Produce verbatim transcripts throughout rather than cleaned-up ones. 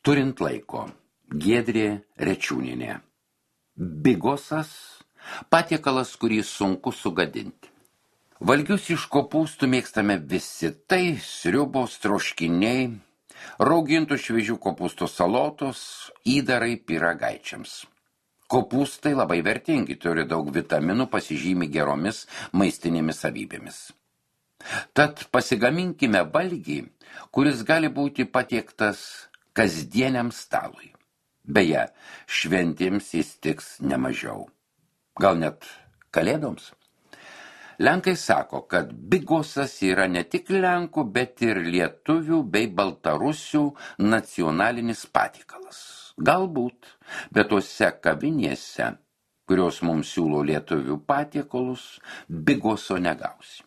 Turint laiko. Giedrė Rečiūnienė. Bigosas – patiekalas, kurį sunku sugadinti. Valgius iš kopūstų mėgstame visi, tai sriubos, troškiniai, raugintų šviežių kopūstų salotos, įdarai pyragaičiams. Kopūstai labai vertingi, turi daug vitaminų, pasižymi geromis maistinėmis savybėmis. Tad pasigaminkime valgį, kuris gali būti patiektas kasdieniam stalui. Beje, šventėms jis tiks nemažiau. Gal net kalėdoms? Lenkai sako, kad bigosas yra ne tik lenkų, bet ir lietuvių bei baltarusių nacionalinis patiekalas. Galbūt, bet tose kavinėse, kurios mums siūlo lietuvių patiekalus, bigoso negausi.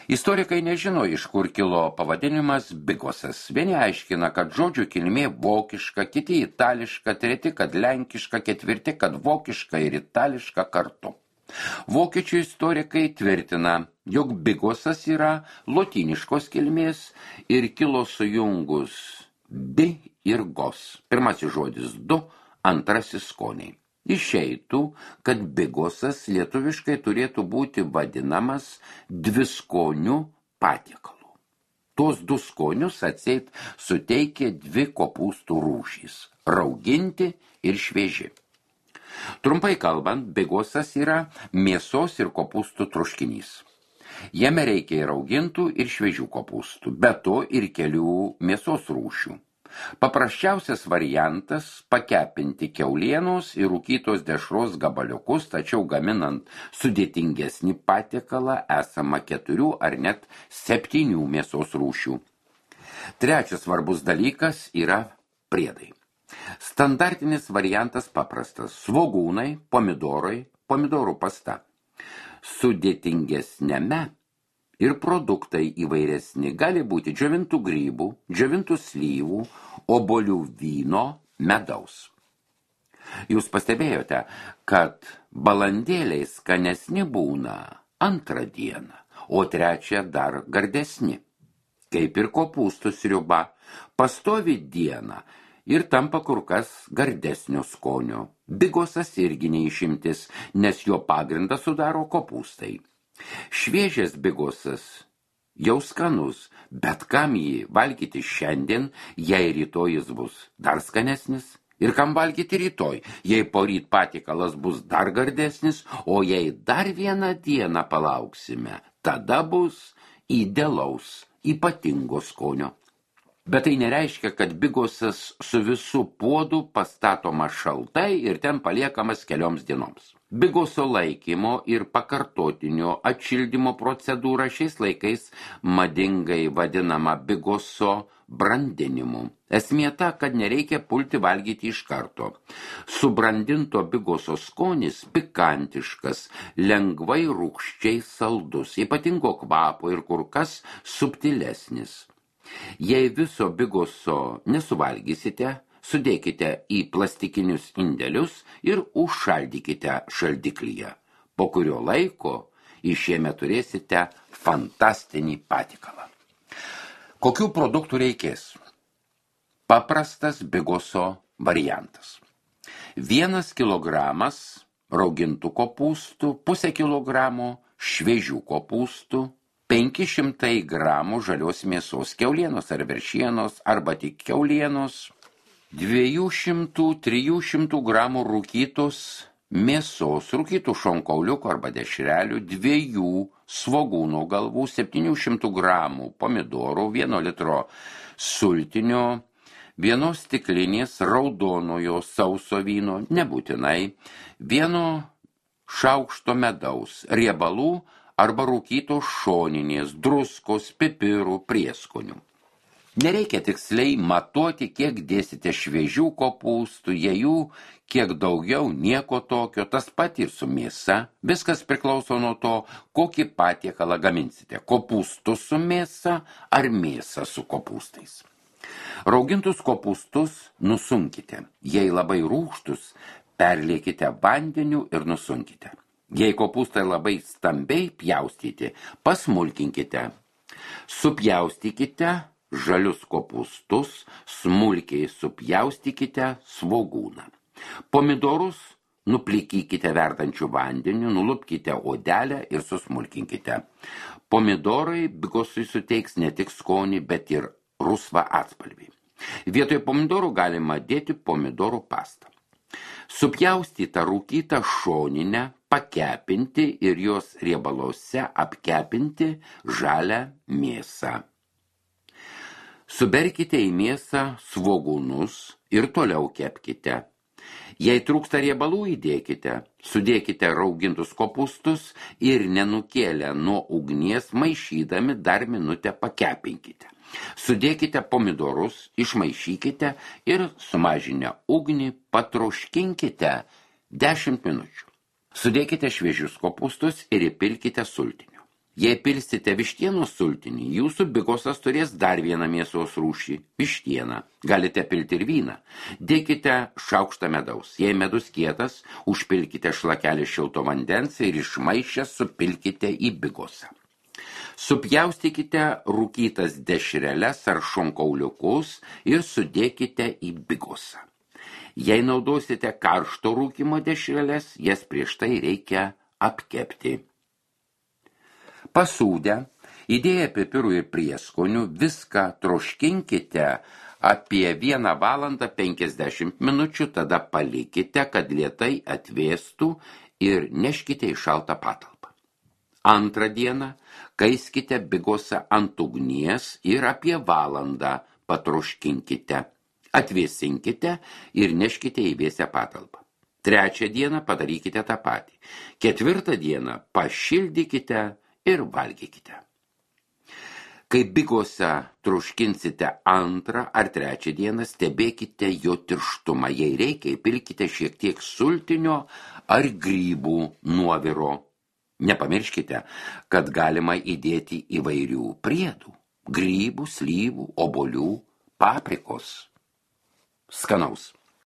Istorikai nežino, iš kur kilo pavadinimas bigosas. Vieni aiškina, kad žodžių kilmė vokiška, kiti itališka, treti, kad lenkiška, ketvirti, kad vokiška ir itališka kartu. Vokiečių istorikai tvirtina, jog bigosas yra lotyniškos kilmės ir kilo sujungus bi ir gos. Pirmasis žodis du, antrasis skoniai. Išeitų, kad bigosas lietuviškai turėtų būti vadinamas dviskonių patiekalu. Tos du skonius atseit suteikia dvi kopūstų rūšys – rauginti ir švieži. Trumpai kalbant, bigosas yra mėsos ir kopūstų troškinys. Jame reikia ir raugintų ir šviežių kopūstų, be to ir kelių mėsos rūšių. Paprasčiausias variantas – pakepinti kiaulienos ir rūkytos dešros gabaliukus, tačiau gaminant sudėtingesnį patiekalą esama keturių ar net septynių mėsos rūšių. Trečias svarbus dalykas yra priedai. Standartinis variantas paprastas – svogūnai, pomidorai, pomidorų pasta. Sudėtingesniame ir produktai įvairesni gali būti džiovintų grybų, džiovintų slyvų, obuolių vyno, medaus. Jūs pastebėjote, kad balandėliai skanesni būna antrą dieną, o trečią dar gardesni. Kaip ir kopūstų sriuba, pastovi dieną ir tampa kur kas gardesnio skonio. Bigosas irgi neišimtis, nes jo pagrindą sudaro kopūstai. Šviežias bigosas jau skanus, bet kam jį valgyti šiandien, jei rytoj jis bus dar skanesnis? Ir kam valgyti rytoj, jei poryt patiekalas bus dar gardesnis, o jei dar vieną dieną palauksime, tada bus idealaus, ypatingo skonio. Bet tai nereiškia, kad bigosas su visu puodu pastatomas šaltai ir ten paliekamas kelioms dienoms. Bigoso laikymo ir pakartotinio atšildymo procedūra šiais laikais madingai vadinama bigoso brandinimu. Esmė ta, kad nereikia pulti valgyti iš karto. Subrandinto bigoso skonis pikantiškas, lengvai rūgščiai saldus, ypatingo kvapo ir kur kas subtilesnis. Jei viso bigoso nesuvalgysite, sudėkite į plastikinius indelius ir užšaldykite šaldiklyje. Po kurio laiko išėmę turėsite fantastinį patiekalą. Kokių produktų reikės? Paprastas bigoso variantas. Vienas kilogramas raugintų kopūstų, pusę kilogramo šviežių kopūstų, penki šimtai gramų žalios mėsos kiaulienos ar veršienos arba tik kiaulienos, dviejų šimtų iki trijų šimtų gramų rūkytos mėsos, rūkytų šonkauliukų arba dešrelių, dviejų svogūnų galvų, septynių šimtų gramų pomidorų, vieno litro sultinio, vienos stiklinės raudonojo sauso vyno, nebūtinai, vieno šaukšto medaus, riebalų arba rūkytos šoninės, druskos, pipirų, prieskonių. Nereikia tiksliai matuoti, kiek dėsite šviežių kopūstų, jei jų kiek daugiau, nieko tokio, tas pat ir su mėsa. Viskas priklauso nuo to, kokį patiekalą gaminsite, kopūstus su mėsa ar mėsą su kopūstais. Raugintus kopūstus nusunkite, jei labai rūgštus, perliekite vandeniu ir nusunkite. Jei kopūstai labai stambiai pjaustyti, pasmulkinkite. Supjaustykite žalius kopūstus, smulkiai supjaustykite svogūną. Pomidorus nuplikykite verdančių vandeniu, nulupkite odelę ir susmulkinkite. Pomidorai bigosui suteiks ne tik skonį, bet ir rusvą atspalvį. Vietoj pomidorų galima dėti pomidorų pastą. Supjaustytą rūkytą šoninę pakepinti ir jos riebaluose apkepinti žalią mėsą. Suberkite į mėsą svogūnus ir toliau kepkite. Jei trūksta riebalų, įdėkite, sudėkite raugintus kopūstus ir nenukėlę nuo ugnies maišydami dar minutę pakepinkite. Sudėkite pomidorus, išmaišykite ir sumažinę ugnį patroškinkite dešimt minučių. Sudėkite šviežius kopūstus ir įpilkite sultinio. Jei pilsite vištienos sultinį, jūsų bigosas turės dar vieną mėsos rūšį – vištieną. Galite pilti ir vyną. Dėkite šaukštą medaus. Jei medus kietas, užpilkite šlakelį šilto vandens ir išmaišę supilkite į bigosą. Supjaustykite rūkytas dešreles ar šonkauliukus ir sudėkite į bigosą. Jei naudosite karšto rūkymo dešreles, jas prieš tai reikia apkepti. Pasūdę, įdėję pipirų ir prieskonių, viską troškinkite apie vieną valandą penkiasdešimt minučių, tada palikite, kad lėtai atvėstų ir neškite į šaltą patalpą. Antrą dieną kaiskite bigosą ant ugnies ir apie valandą patroškinkite. Atvėsinkite ir neškite į vėsią patalpą. Trečią dieną padarykite tą patį. Ketvirtą dieną pašildykite ir valgykite. Kai bigosą troškinsite antrą ar trečią dieną, stebėkite jo tirštumą. Jei reikia, įpilkite šiek tiek sultinio ar grybų nuoviro. Nepamirškite, kad galima įdėti įvairių priedų – grybų, slyvų, obuolių, paprikos. Skanaus.